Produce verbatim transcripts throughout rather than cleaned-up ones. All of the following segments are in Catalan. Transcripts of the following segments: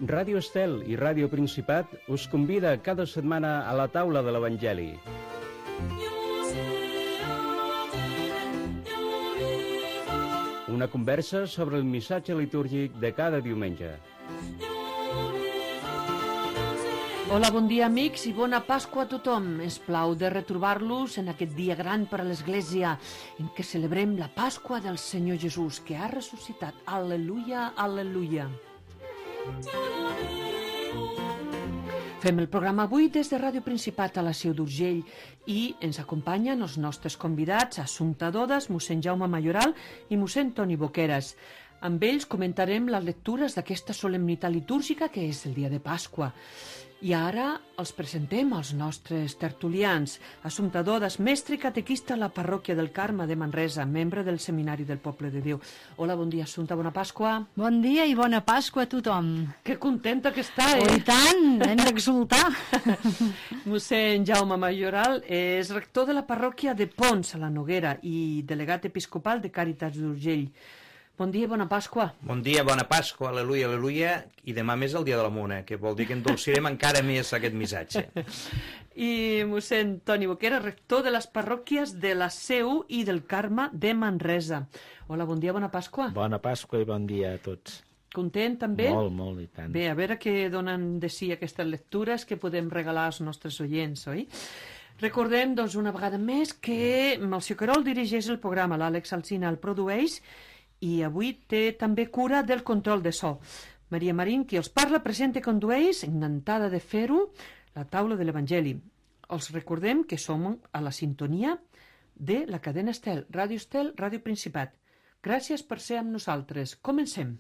Ràdio Estel i Ràdio Principat us convida cada setmana a la taula de l'Evangeli. Una conversa sobre el missatge litúrgic de cada diumenge. Hola, bon dia, amics, i bona Pasqua a tothom. És plau de retrobar-los en aquest dia gran per a l'Església, en què celebrem la Pasqua del Senyor Jesús, que ha ressuscitat. Al·leluia, al·leluia. Fem el programa avui des de Ràdio Principat a la Seu d'Urgell i ens acompanyen els nostres convidats, Assumpta Dodes, mossèn Jaume Mayoral i mossèn Toni Boqueras. Amb ells comentarem les lectures d'aquesta solemnitat litúrgica que és el dia de Pasqua. I ara els presentem als nostres tertulians. Assumpta Dodes, mestre i catequista a la parròquia del Carme de Manresa, membre del Seminari del Poble de Déu. Hola, bon dia, Assumpta, bona Pasqua. Bon dia i bona Pasqua a tothom. Que contenta que està, eh? Oh, i tant, hem d'exultar. Mossèn Jaume Mayoral és rector de la parròquia de Pons, a la Noguera, i delegat episcopal de Càritas d'Urgell. Bon dia i bona Pasqua. Bon dia, bona Pasqua, al·leluia, al·leluia, i demà més el dia de la Mona, que vol dir que endolcirem encara més aquest missatge. I mossèn Toni Boquera, rector de les parròquies de la Seu i del Carme de Manresa. Hola, bon dia, bona Pasqua. Bona Pasqua i bon dia a tots. Content, també? Molt, molt, i tant. Bé, a veure què donen de si aquestes lectures que podem regalar als nostres oients, oi? Recordem, doncs, una vegada més que el senyor Querol dirigeix el programa, l'Àlex Alsina el produeix, i avui té també cura del control de so. Maria Marín, qui els parla, presenta i condueix, encantada de fer-ho, la taula de l'Evangeli. Els recordem que som a la sintonia de la cadena Estel, Ràdio Estel, Ràdio Principat. Gràcies per ser amb nosaltres. Comencem.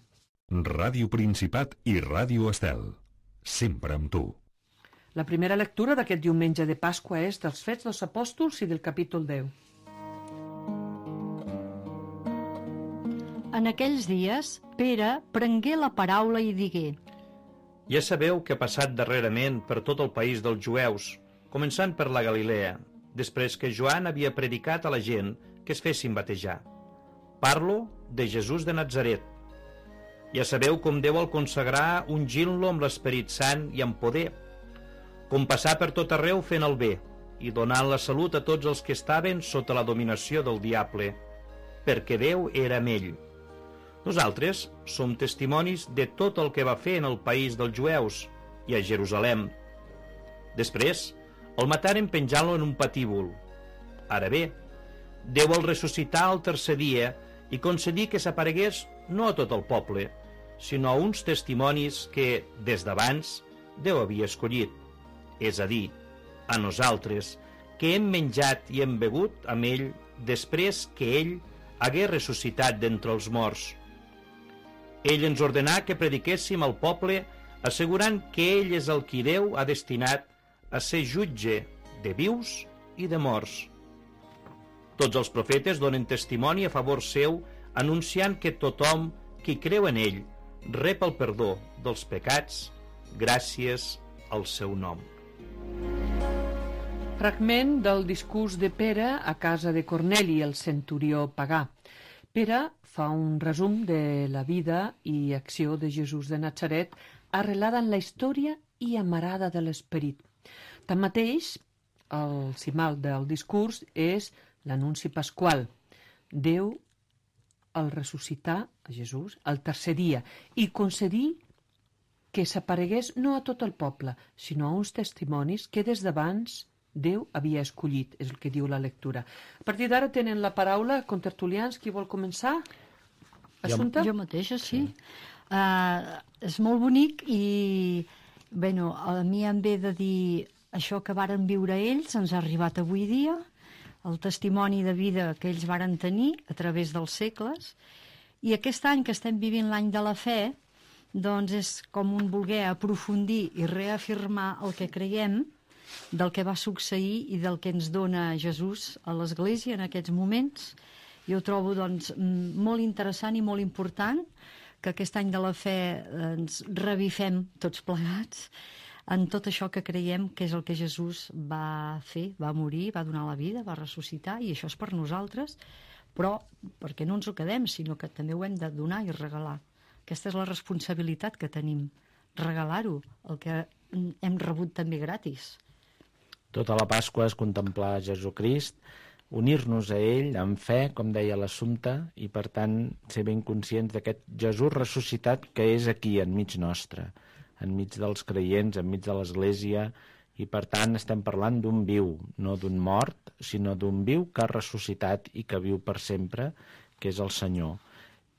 Ràdio Principat i Ràdio Estel. Sempre amb tu. La primera lectura d'aquest diumenge de Pasqua és dels Fets dels Apòstols i del capítol deu. En aquells dies, Pere prengué la paraula i digué: Ja sabeu que ha passat darrerament per tot el país dels jueus, començant per la Galilea, després que Joan havia predicat a la gent que es fessin batejar. Parlo de Jesús de Natzaret. Ja sabeu com Déu el consagrar ungint-lo amb l'Esperit Sant i amb poder, com passar per tot arreu fent el bé i donant la salut a tots els que estaven sota la dominació del diable, perquè Déu era amb ell. Nosaltres som testimonis de tot el que va fer en el país dels jueus i a Jerusalem. Després, el mataren penjant-lo en un patíbul. Ara bé, Déu el ressuscità al tercer dia i concedí que s'aparegués no a tot el poble, sinó a uns testimonis que, des d'abans, Déu havia escollit, és a dir, a nosaltres, que hem menjat i hem begut amb ell després que ell hagué ressuscitat d'entre els morts. Ell ens ordenà que prediquéssim al poble, assegurant que ell és el qui Déu ha destinat a ser jutge de vius i de morts. Tots els profetes donen testimoni a favor seu, anunciant que tothom qui creu en ell rep el perdó dels pecats gràcies al seu nom. Fragment del discurs de Pere a casa de Corneli, el centurió pagà. Pere fa un resum de la vida i acció de Jesús de Natzaret arrelada en la història i amarada de l'esperit. Tanmateix, el cimal del discurs és l'anunci pasqual. Déu el ressuscità a Jesús al tercer dia i concedí que s'aparegués no a tot el poble, sinó a uns testimonis que des d'abans Déu havia escollit, és el que diu la lectura. A partir d'ara tenen la paraula contertulians. Qui vol començar? Assumpta? Jo, jo mateixa, sí. sí. Uh, és molt bonic i bueno, a mi em ve de dir això que varen viure ells, ens ha arribat avui dia, el testimoni de vida que ells varen tenir a través dels segles, i aquest any que estem vivint l'any de la fe, doncs és com un voler aprofundir i reafirmar el que creiem del que va succeir i del que ens dona Jesús a l'Església en aquests moments. Jo ho trobo doncs, molt interessant i molt important que aquest any de la fe ens revifem tots plegats en tot això que creiem que és el que Jesús va fer, va morir, va donar la vida, va ressuscitar, i això és per nosaltres, però perquè no ens ho quedem, sinó que també ho hem de donar i regalar. Aquesta és la responsabilitat que tenim regalar-ho, el que hem rebut també gratis. Tota la Pasqua és contemplar Jesucrist, unir-nos a ell amb fe, com deia l'Assumpta, i per tant ser ben conscients d'aquest Jesús ressuscitat que és aquí, enmig nostre, enmig dels creients, enmig de l'Església, i per tant estem parlant d'un viu, no d'un mort, sinó d'un viu que ha ressuscitat i que viu per sempre, que és el Senyor.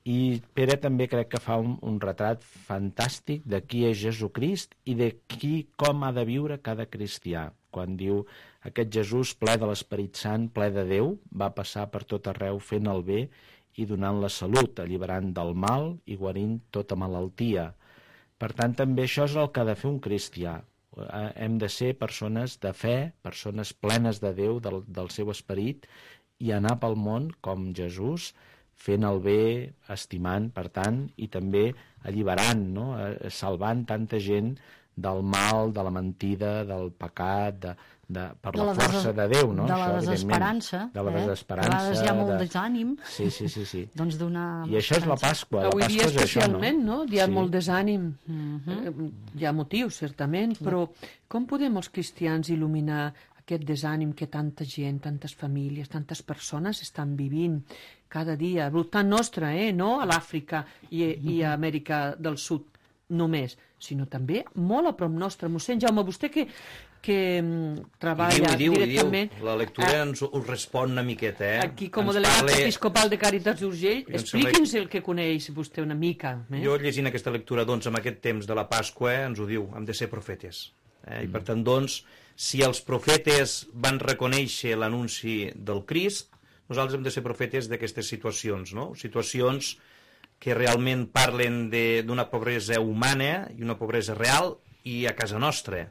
I Pere també crec que fa un, un retrat fantàstic de qui és Jesucrist i de qui, com ha de viure cada cristià. Quan diu aquest Jesús ple de l'Esperit Sant, ple de Déu, va passar per tot arreu fent el bé i donant la salut, alliberant del mal i guarint tota malaltia. Per tant, també això és el que ha de fer un cristià. Hem de ser persones de fe, persones plenes de Déu, del, del seu esperit, i anar pel món com Jesús, fent el bé, estimant, per tant, i també alliberant, no? Salvant tanta gent del mal, de la mentida, del pecat, de, de, per de la, la força de Déu, no? De la això, desesperança. De la eh? desesperança. A vegades hi ha molt de... desànim. Sí, sí, sí. sí. Doncs donar... I això és la Pasqua. Avui la Pasqua dia és especialment, això, no? Hi ha sí. molt desànim. Uh-huh. Hi ha motius, certament, però com podem els cristians il·luminar aquest desànim que tanta gent, tantes famílies, tantes persones estan vivint cada dia, al voltant nostre, eh? No a l'Àfrica i, i a Amèrica del Sud només, sinó també molt a prop nostre. Mossèn Jaume, vostè que, que treballa I diu, i diu, directament... I diu. La lectura a, ens us respon una miqueta, eh? Aquí, com a ens delegat parle... episcopal de Càritas d'Urgell, expliqui'ns el que coneix vostè una mica. Eh? Jo, llegint aquesta lectura, doncs, en aquest temps de la Pasqua, eh, ens ho diu, hem de ser profetes. Eh? I, per tant, doncs, si els profetes van reconèixer l'anunci del Crist, nosaltres hem de ser profetes d'aquestes situacions, no? Situacions que realment parlen d'una pobresa humana i una pobresa real i a casa nostra,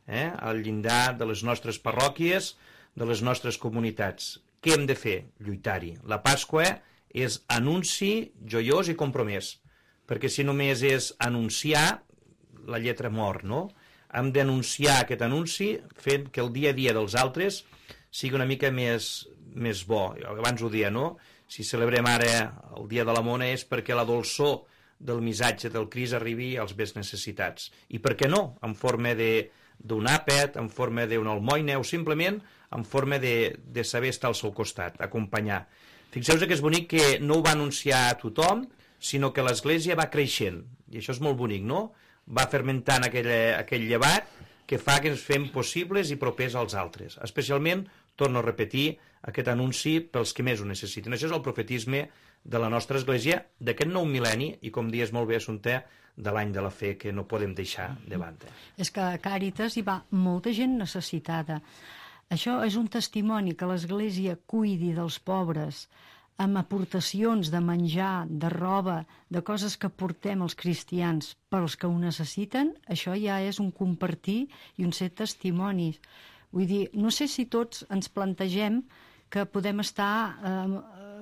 eh? Al llindar de les nostres parròquies, de les nostres comunitats. Què hem de fer? Lluitar-hi. La Pasqua és anunci joiós i compromès, perquè si només és anunciar, la lletra mor, no? Hem d'anunciar aquest anunci fent que el dia a dia dels altres sigui una mica més, més bo. Abans ho deia, no? Si celebrem ara el Dia de la Mona és perquè la dolçor del missatge del Crist arribi als més necessitats. I per què no? En forma d'un àpet, en forma d'una almoina o simplement en forma de, de saber estar al seu costat, acompanyar. Fixeu-vos que és bonic que no ho va anunciar a tothom, sinó que l'Església va creixent. I això és molt bonic, no? Va fermentant aquell, aquell llevat que fa que ens fem possibles i propers als altres. Especialment, torno a repetir, aquest anunci pels que més ho necessiten. Això és el profetisme de la nostra Església, d'aquest nou mil·lenni, i com dius molt bé, Assumpta, de l'any de la fe, que no podem deixar de banda. És que a Càritas hi va molta gent necessitada. Això és un testimoni que l'Església cuidi dels pobres, amb aportacions de menjar, de roba, de coses que portem els cristians per als que ho necessiten. Això ja és un compartir i un ser testimonis. Vull dir, no sé si tots ens plantegem que podem estar eh,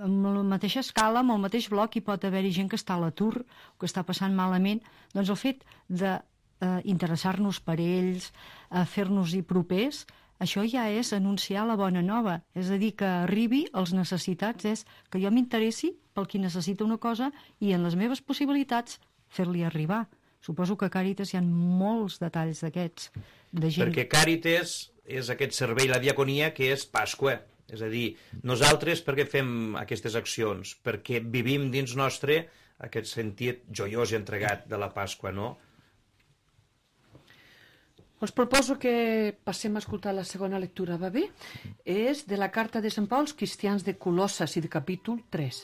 amb la mateixa escala, amb el mateix bloc, i pot haver-hi gent que està a l'atur o que està passant malament. Doncs el fet d'interessar-nos per ells, eh, fer-nos-hi propers, això ja és anunciar la bona nova. És a dir, que arribi als necessitats, és que jo m'interessi pel qui necessita una cosa i en les meves possibilitats fer-li arribar. Suposo que a Càritas hi ha molts detalls d'aquests, de gent... Perquè Càritas és aquest servei, la diaconia, que és Pasqua. És a dir, nosaltres per què fem aquestes accions? Perquè vivim dins nostre aquest sentit joiós i entregat de la Pasqua, no? Us proposo que passem a escoltar la segona lectura, va bé? És de la carta de Sant Pau als cristians de Colosses i de capítol tres.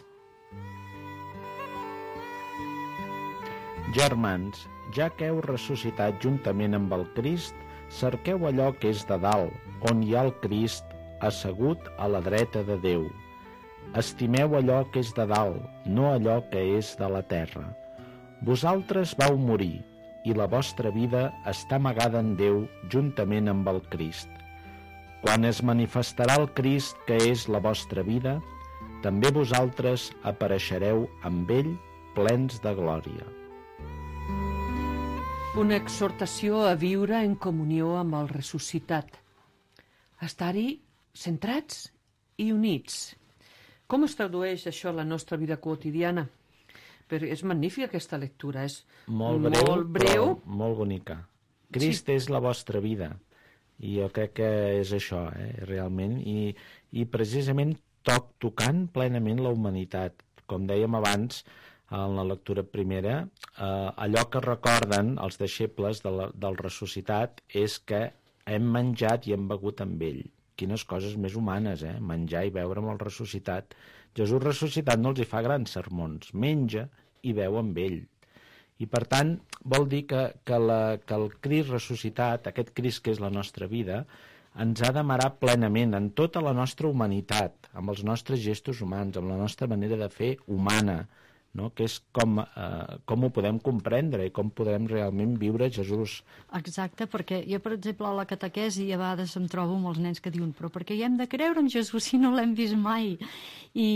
Germans, ja que heu ressuscitat juntament amb el Crist, cerqueu allò que és de dalt, on hi ha el Crist assegut a la dreta de Déu. Estimeu allò que és de dalt, no allò que és de la terra. Vosaltres vau morir, i la vostra vida està amagada en Déu juntament amb el Crist. Quan es manifestarà el Crist, que és la vostra vida, també vosaltres apareixereu amb ell plens de glòria. Una exhortació a viure en comunió amb el ressuscitat. A estar-hi centrats i units. Com es tradueix això a la nostra vida quotidiana? Però és magnífica aquesta lectura, és Molt breu, molt, breu. però molt bonica. Crist sí. és la vostra vida. I jo crec que és això, eh, realment. I, i precisament toc tocant plenament la humanitat. Com dèiem abans, en la lectura primera, eh, allò que recorden els deixebles de la, del ressuscitat és que hem menjat i hem begut amb ell. Quines coses més humanes, eh? Menjar i beure amb el ressuscitat. Jesús ressuscitat no els hi fa grans sermons, menja i beu amb ell. I per tant, vol dir que, que, la, que el Crist ressuscitat, aquest Crist que és la nostra vida, ens ha d'amarar plenament en tota la nostra humanitat, amb els nostres gestos humans, amb la nostra manera de fer humana, no? Que és com, eh, com ho podem comprendre i com podem realment viure Jesús. Exacte, perquè jo, per exemple, a la catequesi a vegades em trobo amb els nens que diuen però per què hi hem de creure en Jesús si no l'hem vist mai? I,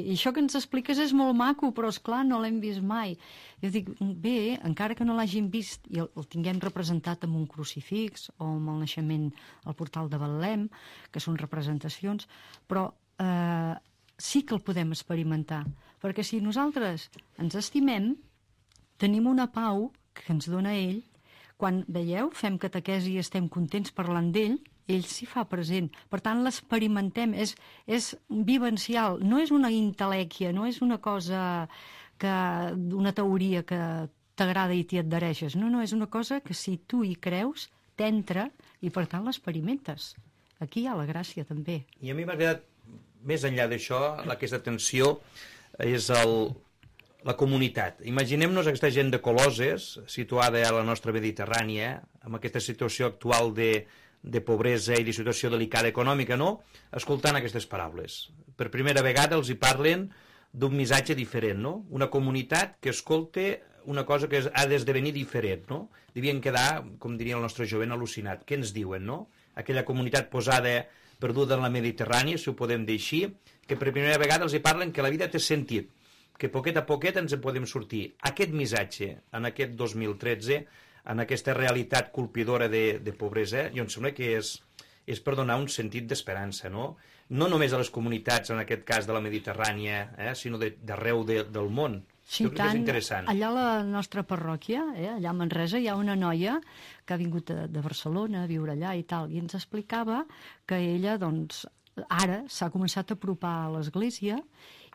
i això que ens expliques és molt maco, però esclar, no l'hem vist mai. Jo dic, bé, encara que no l'hagin vist i el, el tinguem representat amb un crucifix o amb el naixement al portal de Betlem, que són representacions, però eh, sí que el podem experimentar. Perquè si nosaltres ens estimem, tenim una pau que ens dona ell. Quan, veieu, fem catequesi i estem contents parlant d'ell, ell s'hi fa present. Per tant, l'experimentem, és, és vivencial, no és una intel·lèquia, no és una cosa, que, una teoria que t'agrada i t'hi adhereixes. No, no, és una cosa que si tu hi creus, t'entra i per tant l'experimentes. Aquí hi ha la gràcia també. I a mi m'ha agradat, més enllà d'això, aquesta tensió és el, la comunitat. Imaginem-nos aquesta gent de Coloses, situada a la nostra Mediterrània, amb aquesta situació actual de, de pobresa i de situació delicada econòmica, no? Escoltant aquestes paraules. Per primera vegada els hi parlen d'un missatge diferent, no? Una comunitat que escolta una cosa que ha d'esdevenir diferent, no? Devien quedar, com diria el nostre jovent, al·lucinat. Què ens diuen, no? Aquella comunitat posada, perduda en la Mediterrània, si ho podem dir així, que per primera vegada els hi parlen que la vida té sentit, que poquet a poquet ens en podem sortir. Aquest missatge, en aquest dos mil tretze, en aquesta realitat colpidora de, de pobresa, jo em sembla que és, és per donar un sentit d'esperança, no? No només a les comunitats, en aquest cas de la Mediterrània, eh, sinó d'arreu de, del món. Sí, jo crec tant, que és interessant. Allà a la nostra parròquia, eh, allà a Manresa, hi ha una noia que ha vingut de, de Barcelona a viure allà i tal, i ens explicava que ella, doncs, ara s'ha començat a apropar a l'església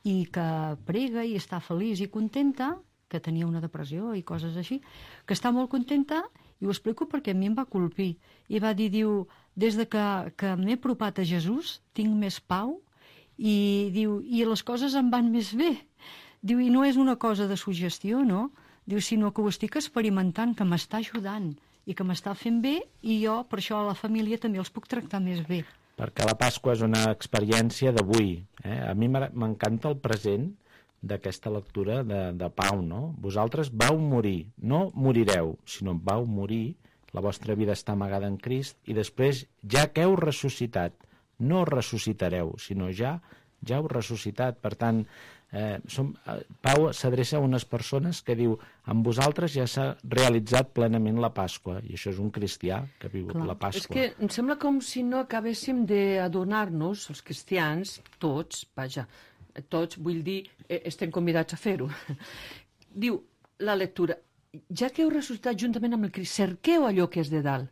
i que prega i està feliç i contenta, que tenia una depressió i coses així, que està molt contenta, i ho explico perquè a mi em va colpir. I va dir, diu, des de que, que m'he apropat a Jesús, tinc més pau, i diu, i les coses em van més bé. Diu, i no és una cosa de suggestió, no? Diu, sinó que ho estic experimentant, que m'està ajudant i que m'està fent bé, i jo, per això, a la família també els puc tractar més bé. Perquè la Pasqua és una experiència d'avui. Eh? A mi m'encanta el present d'aquesta lectura de, de Pau, no? Vosaltres vau morir, no morireu, sinó vau morir, la vostra vida està amagada en Crist, i després, ja que heu ressuscitat, no ressuscitareu, sinó ja, ja heu ressuscitat. Per tant, eh, som, eh, Pau s'adreça a unes persones que diu, amb vosaltres ja s'ha realitzat plenament la Pasqua, i això és un cristià que ha vigut la Pasqua. És que em sembla com si no acabéssim d'adonar-nos, els cristians, tots, vaja, tots, vull dir, eh, estem convidats a fer-ho. Diu la lectura, ja que heu ressuscitat juntament amb el Crist, cerqueu allò que és de dalt,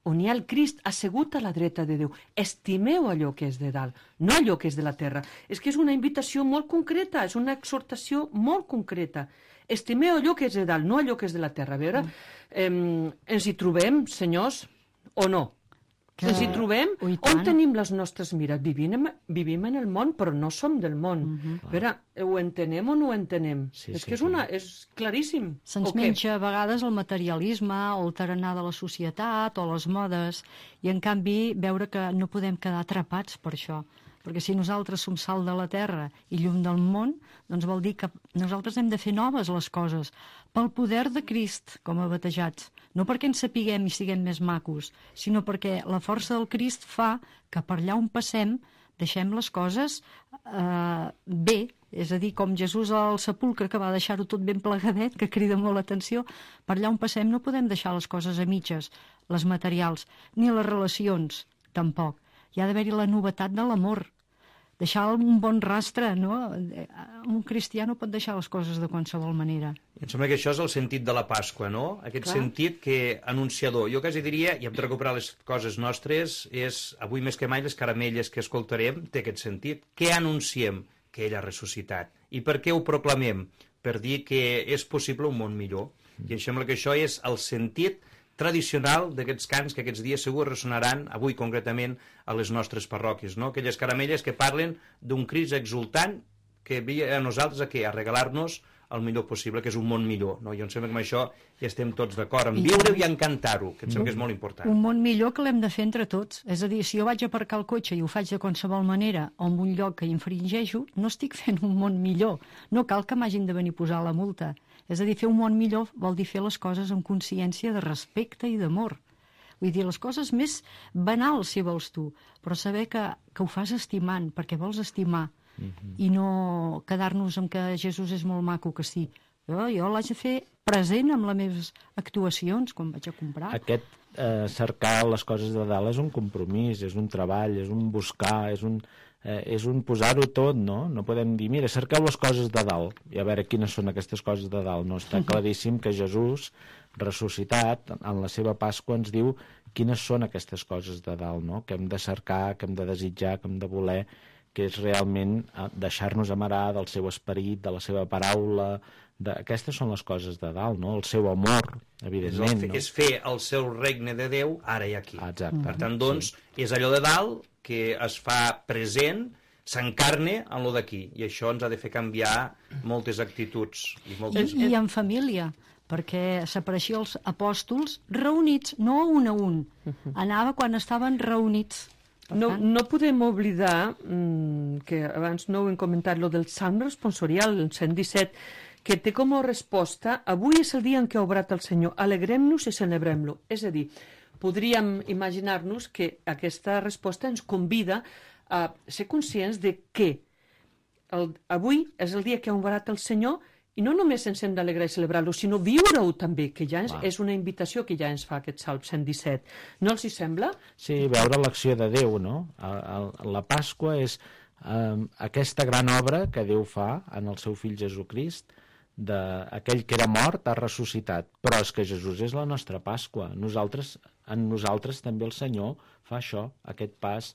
on hi ha el Crist assegut a la dreta de Déu. Estimeu allò que és de dalt, no allò que és de la terra. És que és una invitació molt concreta, és una exhortació molt concreta. Estimeu allò que és de dalt, no allò que és de la terra. A veure, eh, ens hi trobem, senyors, o no? Que... Ens hi trobem? On tenim les nostres mires? Vivim, vivim en el món, però no som del món. Uh -huh. A veure, ho entenem o no ho entenem? Sí, és sí, que és, una, és claríssim. Se'ns menja a vegades el materialisme o el tarannà de la societat o les modes, i en canvi veure que no podem quedar atrapats per això. Perquè si nosaltres som sal de la terra i llum del món, doncs vol dir que nosaltres hem de fer noves les coses, pel poder de Crist, com a batejats. No perquè ens sapiguem i siguem més macos, sinó perquè la força del Crist fa que per allà on passem deixem les coses eh, bé. És a dir, com Jesús al sepulcre, que va deixar-ho tot ben plegadet, que crida molt l'atenció, per allà on passem no podem deixar les coses a mitges, les materials, ni les relacions, tampoc. Hi ha d'haver-hi la novetat de l'amor, deixar un bon rastre, no? Un cristià no pot deixar les coses de qualsevol manera. Em sembla que això és el sentit de la Pasqua, no? Aquest Clar. sentit que anunciador. Jo quasi diria, i hem de recuperar les coses nostres, és, avui més que mai, les caramelles que escoltarem té aquest sentit. Què anunciem? Que ell ha ressuscitat. I per què ho proclamem? Per dir que és possible un món millor. I em sembla que això és el sentit tradicional d'aquests cants que aquests dies segur ressonaran, avui concretament, a les nostres parròquies, no? Aquelles caramelles que parlen d'un Crist exultant que ve a nosaltres a què? A regalar-nos el millor possible, que és un món millor, no? Jo em sembla que amb això ja estem tots d'acord, en viure-ho i en cantar-ho, que em sembla que és molt important. Un món millor que l'hem de fer entre tots. És a dir, si jo vaig a aparcar el cotxe i ho faig de qualsevol manera o en un lloc que infringeixo, no estic fent un món millor. No cal que m'hagin de venir a posar la multa. És a dir, fer un món millor vol dir fer les coses amb consciència de respecte i d'amor. Vull dir, les coses més banals, si vols tu, però saber que, que ho fas estimant, perquè vols estimar, uh-huh. i no quedar-nos amb que Jesús és molt maco, que sí. Jo, jo l'haig de fer present amb les meves actuacions, quan vaig a comprar. Aquest eh, cercar les coses de dalt és un compromís, és un treball, és un buscar, és un... Eh, és un posar-ho tot, no? No podem dir, mira, cerqueu les coses de dalt i a veure quines són aquestes coses de dalt. No, està claríssim que Jesús, ressuscitat, en la seva Pasqua ens diu quines són aquestes coses de dalt, no? Que hem de cercar, que hem de desitjar, que hem de voler, que és realment deixar-nos amarar del seu esperit, de la seva paraula. De... Aquestes són les coses de dalt, no? El seu amor, evidentment. És, no? és fer el seu regne de Déu ara i aquí. Exacte. Per tant, doncs, sí. És allò de dalt que es fa present, s'encarne en lo d'aquí, i això ens ha de fer canviar moltes actituds. I, moltes... I, i en família, perquè s'apareixia els apòstols reunits, no un a un. Anava quan estaven reunits. No, no podem oblidar, mmm, que abans no ho hem comentat, lo del Salm responsorial, el cent disset, que té com a resposta: avui és el dia en què ha obrat el Senyor, alegrem-nos i celebrem-lo. És a dir, podríem imaginar-nos que aquesta resposta ens convida a ser conscients de que el, avui és el dia que ha obrat el Senyor, i no només ens hem d'alegrar i celebrar-lo, sinó viure-ho també, que ja és, és una invitació que ja ens fa aquest Salm cent disset. No els hi sembla? Sí, veure l'acció de Déu, no? A, a, la Pasqua és um, aquesta gran obra que Déu fa en el seu fill Jesucrist, d'aquell que era mort ha ressuscitat, però és que Jesús és la nostra Pasqua. Nosaltres, en nosaltres també el Senyor fa això, aquest pas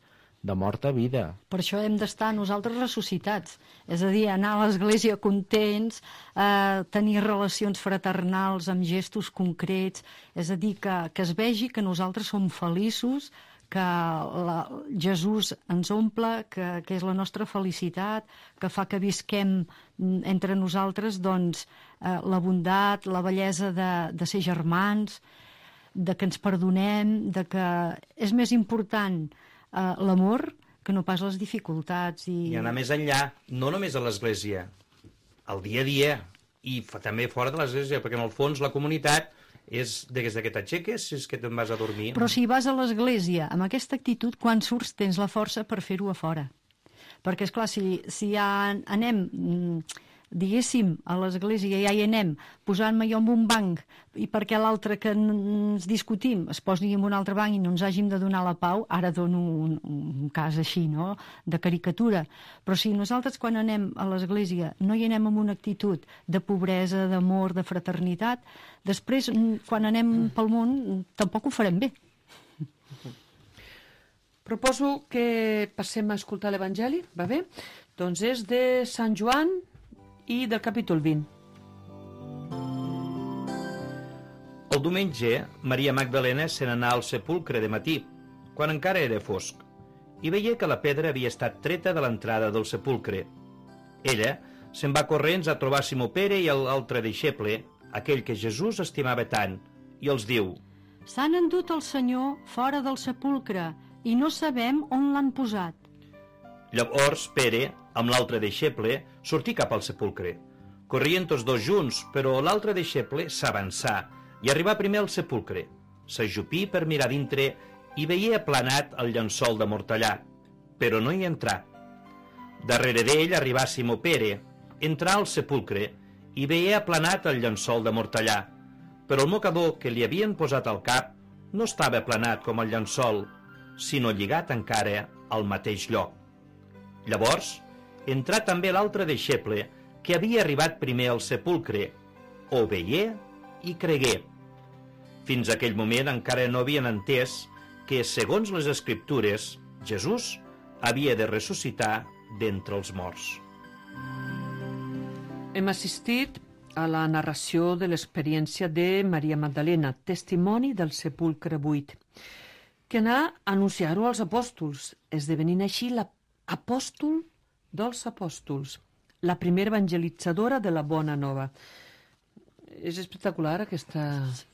de mort a vida. Per això hem d'estar nosaltres ressuscitats, és a dir, anar a l'església contents, eh, tenir relacions fraternals amb gestos concrets, és a dir, que, que es vegi que nosaltres som feliços, que la, Jesús ens omple, que, que és la nostra felicitat, que fa que visquem entre nosaltres doncs, eh, la bondat, la bellesa de, de ser germans, de que ens perdonem, de que és més important eh, l'amor que no pas les dificultats. I... I anar més enllà, no només a l'església, al dia a dia, i també fora de l'església, perquè en el fons la comunitat és des que t'aixeques, és que te'n vas a dormir. Però si vas a l'església amb aquesta actitud, quan surts tens la força per fer-ho a fora. Perquè, esclar, si, si ja anem, diguéssim, a l'església, ja hi anem, posant-me jo en un banc, i perquè l'altre que ens discutim es posi en un altre banc i no ens hàgim de donar la pau, ara dono un, un cas així, no?, de caricatura. Però si nosaltres quan anem a l'església no hi anem amb una actitud de pobresa, d'amor, de fraternitat, després, quan anem pel món, tampoc ho farem bé. Proposo que passem a escoltar l'Evangeli, va bé? Doncs és de Sant Joan i del capítol vint. El diumenge, Maria Magdalena se n'anà al sepulcre de matí, quan encara era fosc, i veia que la pedra havia estat treta de l'entrada del sepulcre. Ella se'n va corrents a trobar Simó Pere i l'altre deixeble, aquell que Jesús estimava tant, i els diu: s'han endut el Senyor fora del sepulcre i no sabem on l'han posat. Llavors Pere, amb l'altre deixeble, sortí cap al sepulcre. Corrien tots dos junts, però l'altre deixeble s'avançà i arribà primer al sepulcre. S'ajupí per mirar dintre i veia aplanat el llençol de mortallà, però no hi entrà. Darrere d'ell arribà Simó Pere, entrà al sepulcre i veia aplanat el llençol de mortallà, però el mocador que li havien posat al cap no estava aplanat com el llençol, sinó lligat encara al mateix lloc. Llavors, entrà també l'altre deixeble, que havia arribat primer al sepulcre, ho veié i cregué. Fins a aquell moment encara no havien entès que, segons les Escriptures, Jesús havia de ressuscitar d'entre els morts. Hem assistit a la narració de l'experiència de Maria Magdalena, testimoni del sepulcre buit, que anà a anunciar-ho als apòstols, esdevenint així l'apòstol dels apòstols, la primera evangelitzadora de la Bona Nova. És espectacular aquesta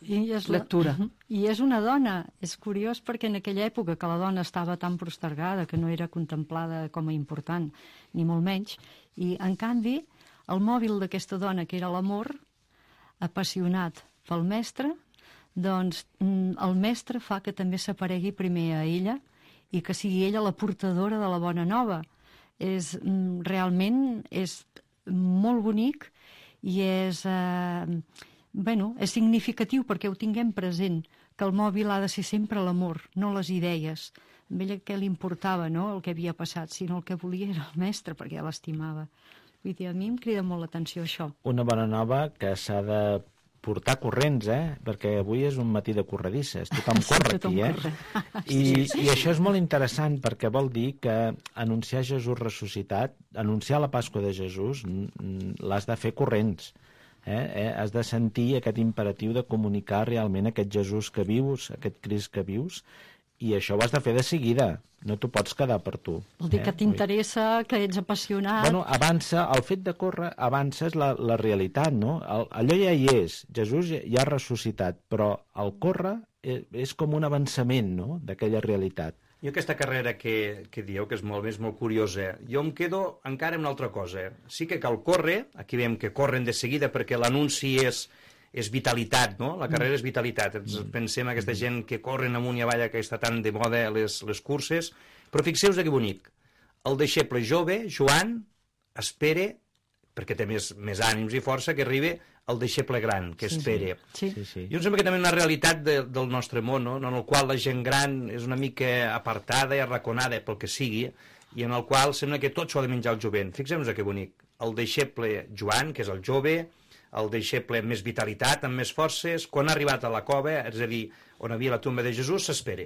I és lectura. La... I és una dona. És curiós perquè en aquella època que la dona estava tan postergada, que no era contemplada com a important, ni molt menys, i en canvi el mòbil d'aquesta dona, que era l'amor, apassionat pel mestre, doncs el mestre fa que també s'aparegui primer a ella i que sigui ella la portadora de la bona nova. És, realment és molt bonic i és, eh, bueno, és significatiu perquè ho tinguem present, que el mòbil ha de ser sempre l'amor, no les idees. A ella què li importava, no?, el que havia passat, sinó el que volia era el mestre, perquè l'estimava. Vull dir, a mi em crida molt l'atenció això. Una bona nova que s'ha de portar corrents, eh? Perquè avui és un matí de corredisses. Tothom corre Tothom aquí, eh? corre. I, I això és molt interessant perquè vol dir que anunciar Jesús ressuscitat, anunciar la Pasqua de Jesús, l'has de fer corrents. Eh? Eh? Has de sentir aquest imperatiu de comunicar realment aquest Jesús que vius, aquest Crist que vius, i això ho has de fer de seguida, no t'ho pots quedar per tu. Vol dir eh? que t'interessa, que ets apassionat... Bueno, avança, el fet de córrer avança és la, la realitat, no? El, allò ja hi és, Jesús ja, ja ha ressuscitat, però el córrer és, és com un avançament, no?, d'aquella realitat. I aquesta carrera que, que dieu, que és molt més molt curiosa, jo em quedo encara amb una altra cosa. Sí que cal córrer, aquí veiem que corren de seguida perquè l'anunci és... és vitalitat, no? La carrera és vitalitat. Ens pensem en aquesta gent que corren amunt i avall, que està tan de moda les, les curses, però fixeu-vos que bonic. El deixeble jove, Joan, espera, perquè té més, més ànims i força, que arribi el deixeble gran, que espera. Sí, sí. Sí, sí. Jo em sembla que també una realitat de, del nostre món, no? En el qual la gent gran és una mica apartada i arraconada pel que sigui, i en el qual sembla que tot s'ho ha de menjar el jovent. Fixem-nos que bonic. El deixeble Joan, que és el jove, el deixeble amb més vitalitat, amb més forces, quan ha arribat a la cova, és a dir, on havia la tomba de Jesús, s'espera.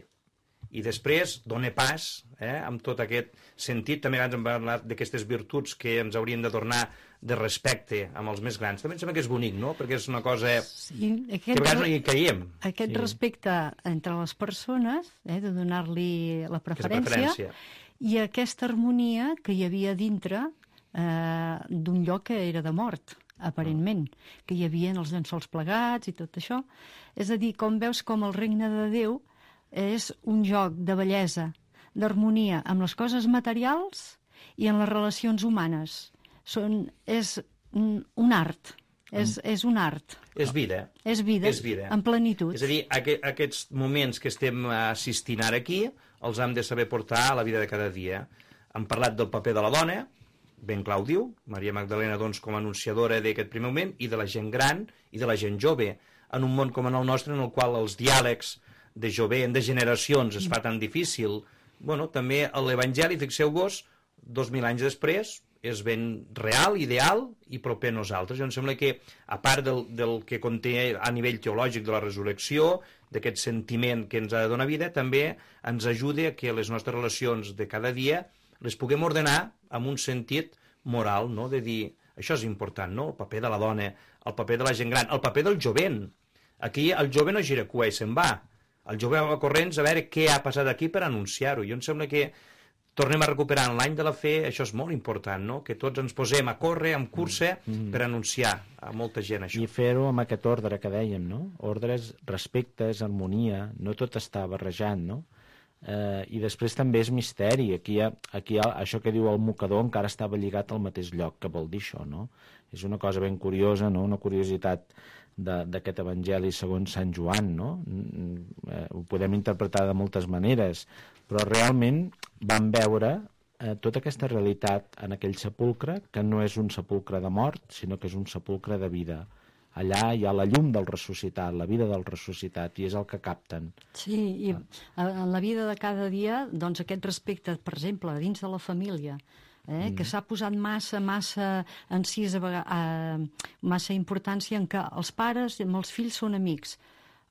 I després dona pas, eh, amb tot aquest sentit. També abans hem parlat d'aquestes virtuts que ens haurien de donar de respecte amb els més grans. També em sembla que és bonic, no?, perquè és una cosa Sí, aquest, que a vegades no hi caiem. Aquest Sí. respecte entre les persones, eh, de donar-li la preferència, preferència. i aquesta harmonia que hi havia dintre eh, d'un lloc que era de mort, aparentment, que hi havia els llençols plegats i tot això. És a dir, com veus com el regne de Déu és un joc de bellesa, d'harmonia amb les coses materials i en les relacions humanes. Són, és un art, és, és un art. És vida. És vida, És vida. en plenitud. És a dir, aqu aquests moments que estem assistint ara aquí els hem de saber portar a la vida de cada dia. Hem parlat del paper de la dona, ben clar ho diu, Maria Magdalena doncs, com a anunciadora d'aquest primer moment, i de la gent gran i de la gent jove, en un món com en el nostre, en el qual els diàlegs de jovent, de generacions, es fa tan difícil. Bueno, també l'Evangeli, fixeu-vos, dos mil anys després, és ben real, ideal i proper a nosaltres. Jo em sembla que, a part del, del que conté a nivell teològic de la resurrecció, d'aquest sentiment que ens ha de donar vida, també ens ajuda a que les nostres relacions de cada dia les puguem ordenar amb un sentit moral, no?, de dir, això és important, no?, el paper de la dona, el paper de la gent gran, el paper del jovent. Aquí el jove no gira cua i se'n va. El jove va corrents a veure què ha passat aquí per anunciar-ho. Jo em sembla que tornem a recuperar en l'any de la fe, això és molt important, no?, que tots ens posem a córrer, en cursa, mm. per anunciar a molta gent això. I fer-ho amb aquest ordre que dèiem, no? Ordres, respectes, harmonia, no tot està barrejant, no? Eh, I després també és misteri. Aquí, hi ha, aquí hi ha, això que diu el mocador encara estava lligat al mateix lloc. Què vol dir això, no? És una cosa ben curiosa, no?, una curiositat d'aquest evangeli segons Sant Joan, no? Eh, ho podem interpretar de moltes maneres, però realment vam veure eh, tota aquesta realitat en aquell sepulcre, que no és un sepulcre de mort, sinó que és un sepulcre de vida. Allà hi ha la llum del ressuscitat, la vida del ressuscitat, i és el que capten. Sí, i en la vida de cada dia, doncs aquest respecte, per exemple, dins de la família, eh? mm. que s'ha posat massa, massa encís, a massa importància en que els pares amb els fills són amics.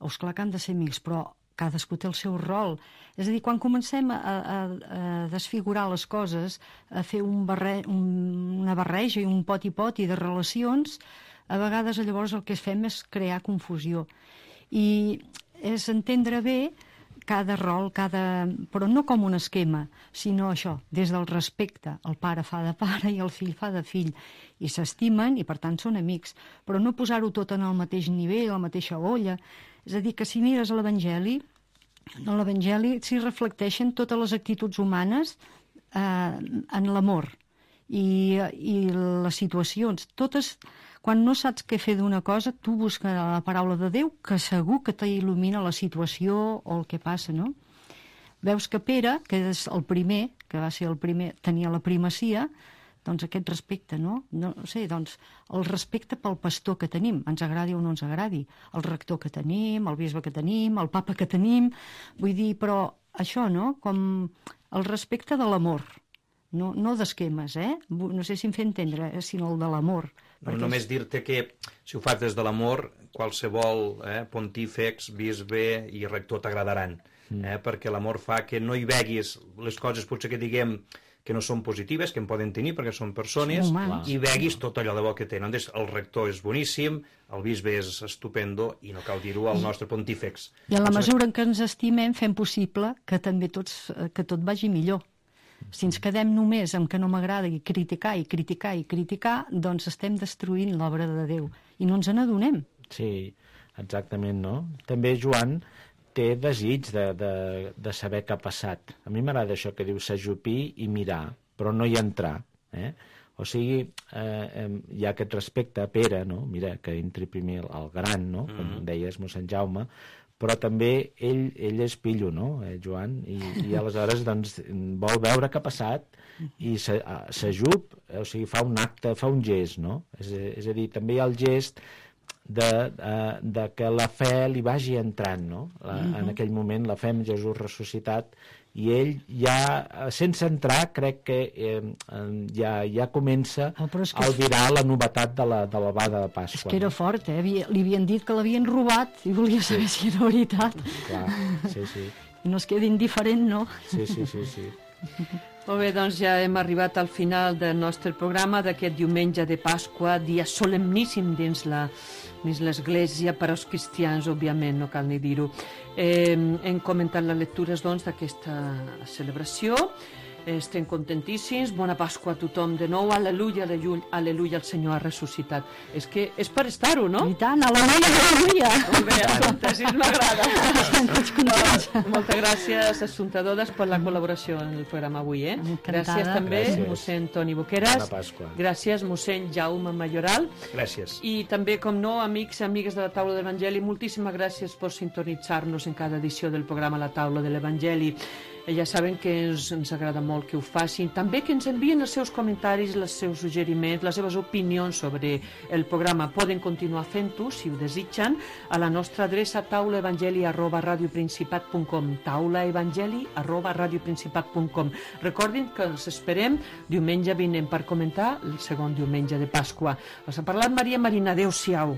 O és clar que han de ser amics, però cadascú té el seu rol. És a dir, quan comencem a, a, a desfigurar les coses, a fer un barre, un, una barreja i un poti-poti de relacions, a vegades llavors el que fem és crear confusió. I és entendre bé cada rol, cada... però no com un esquema, sinó això, des del respecte. El pare fa de pare i el fill fa de fill. I s'estimen i, per tant, són amics. Però no posar-ho tot en el mateix nivell, a la mateixa olla. És a dir, que si mires a l'Evangeli, en l'Evangeli s'hi reflecteixen totes les actituds humanes eh, en l'amor i, i les situacions. Totes, quan no saps què fer d'una cosa, tu busques la paraula de Déu, que segur que t'il·lumina la situació o el que passa, no? Veus que Pere, que és el primer, que va ser el primer, tenia la primacia, doncs aquest respecte, no? No sé, doncs el respecte pel pastor que tenim, ens agradi o no ens agradi, el rector que tenim, el bisbe que tenim, el papa que tenim, vull dir, però això, no? Com el respecte de l'amor, no, no d'esquemes, eh? No sé si em fer entendre, eh? Sinó el de l'amor. No, només dir-te que si ho fas des de l'amor, qualsevol eh, pontífex, bisbe i rector t'agradaran, mm. eh? Perquè l'amor fa que no hi veguis les coses potser que diguem que no són positives, que en poden tenir perquè són persones, i veguis tot allò de bo que tenen. El rector és boníssim, el bisbe és estupendo, i no cal dir-ho al nostre pontífex. I en la mesura en què ens estimem, fem possible que també tots, que tot vagi millor. Si ens quedem només amb que no m'agrada i criticar i criticar i criticar, doncs estem destruint l'obra de Déu, i no ens n'adonem. Sí, exactament, no? També Joan té desig de, de, de saber què ha passat. A mi m'agrada això que diu s'ajupir i mirar, però no hi entrar. Eh? O sigui, eh, hi ha aquest respecte a Pere, no? Mira, que entri primer el gran, no? Com mm-hmm. deies, mossèn Jaume, però també ell, ell és pillo, no, eh, Joan? I, i aleshores doncs, vol veure què ha passat i s'ajup, o sigui, fa un acte, fa un gest, no? És, és a dir, també hi ha el gest De, de, de que la fe li vagi entrant, no? La, uh-huh. En aquell moment la fe en Jesús ressuscitat, i ell ja, sense entrar, crec que eh, ja, ja comença oh, que a albirar la novetat de la, de la bada de Pasqua. És que era fort, eh? Li havien dit que l'havien robat i volia saber sí. si era veritat. Clar, sí, sí. No es quedi indiferent, no? Sí, sí, sí, sí. Molt bé, doncs ja hem arribat al final del nostre programa d'aquest diumenge de Pasqua, dia solemníssim dins la dins l'Església, per als cristians, òbviament, no cal ni dir-ho. Eh, hem comentat les lectures, doncs, d'aquesta celebració. Estem contentíssims. Bona Pasqua a tothom de nou. Aleluia, aleluia, aleluia, el Senyor ha ressuscitat. És que és per estar-ho, no? I tant, aleluia, aleluia. Molt bé, Assumpta, així m'agrada. Moltes gràcies, Assumpta Dodes, per la col·laboració en el programa avui. Eh? Gràcies també, gràcies. Mossèn Toni Boqueras. Bona Pasqua. Gràcies, mossèn Jaume Mayoral. Gràcies. I també, com no, amics i amigues de la Taula de l'Evangeli, moltíssimes gràcies per sintonitzar-nos en cada edició del programa La Taula de l'Evangeli. Ja saben que ens, ens agrada molt que ho facin, també que ens envien els seus comentaris, els seus suggeriments, les seves opinions sobre el programa. Poden continuar fent-ho, si ho desitgen, a la nostra adreça taulaevangeli arroba radioprincipat punt com, taulaevangeli arroba radioprincipat punt com. Recordin que els esperem diumenge vinent per comentar el segon diumenge de Pasqua. Els ha parlat Maria Marina. Adéu-siau.